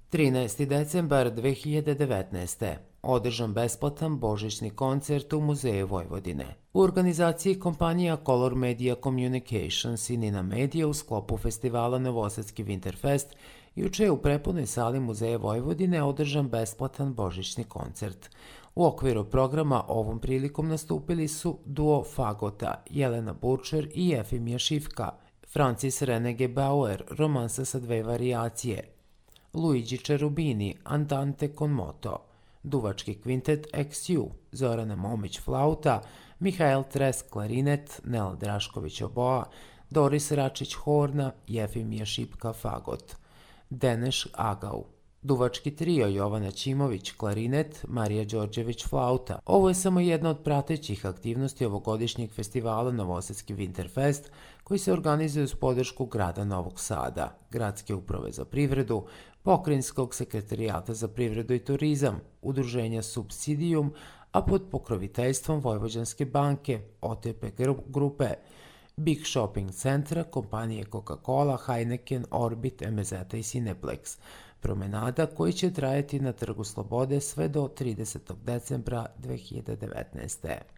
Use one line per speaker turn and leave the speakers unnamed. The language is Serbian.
13. decembar 2019. Održan besplatan božićni koncert u Muzeju Vojvodine. U organizaciji kompanija Color Media Communications i Nina Media u sklopu festivala Novosadski Winterfest juče je u prepunoj sali Muzeja Vojvodine održan besplatan božićni koncert. U okviru programa ovom prilikom nastupili su duo Fagota, Jelena Burčer i Jefimija Šifka, Francis Renege Bauer, romansa sa dve varijacije, Luigi Cherubini, Andante con moto, duvački kvintet XU, Zorana Momić flauta, Mihael Tres klarinet, Nela Drašković oboa, Doris Račić horna, Jefimija Šipka fagot, Deneš Agau, duvački trio Jovana Ćimović klarinet, Marija Đorđević flauta. Ovo je samo jedna od pratećih aktivnosti ovogodišnjeg festivala Novosadski Winterfest koji se organizuje uz podršku grada Novog Sada, Gradske uprave za privredu, Pokrajinskog sekretarijata za privredu i turizam, udruženja Subsidijum, a pod pokroviteljstvom Vojvođanske banke, OTP grupe, Big Shopping centra, kompanije Coca-Cola, Heineken, Orbit, MZ i Cineplex. Promenada koji će trajati na Trgu Slobode sve do 30. decembra 2019.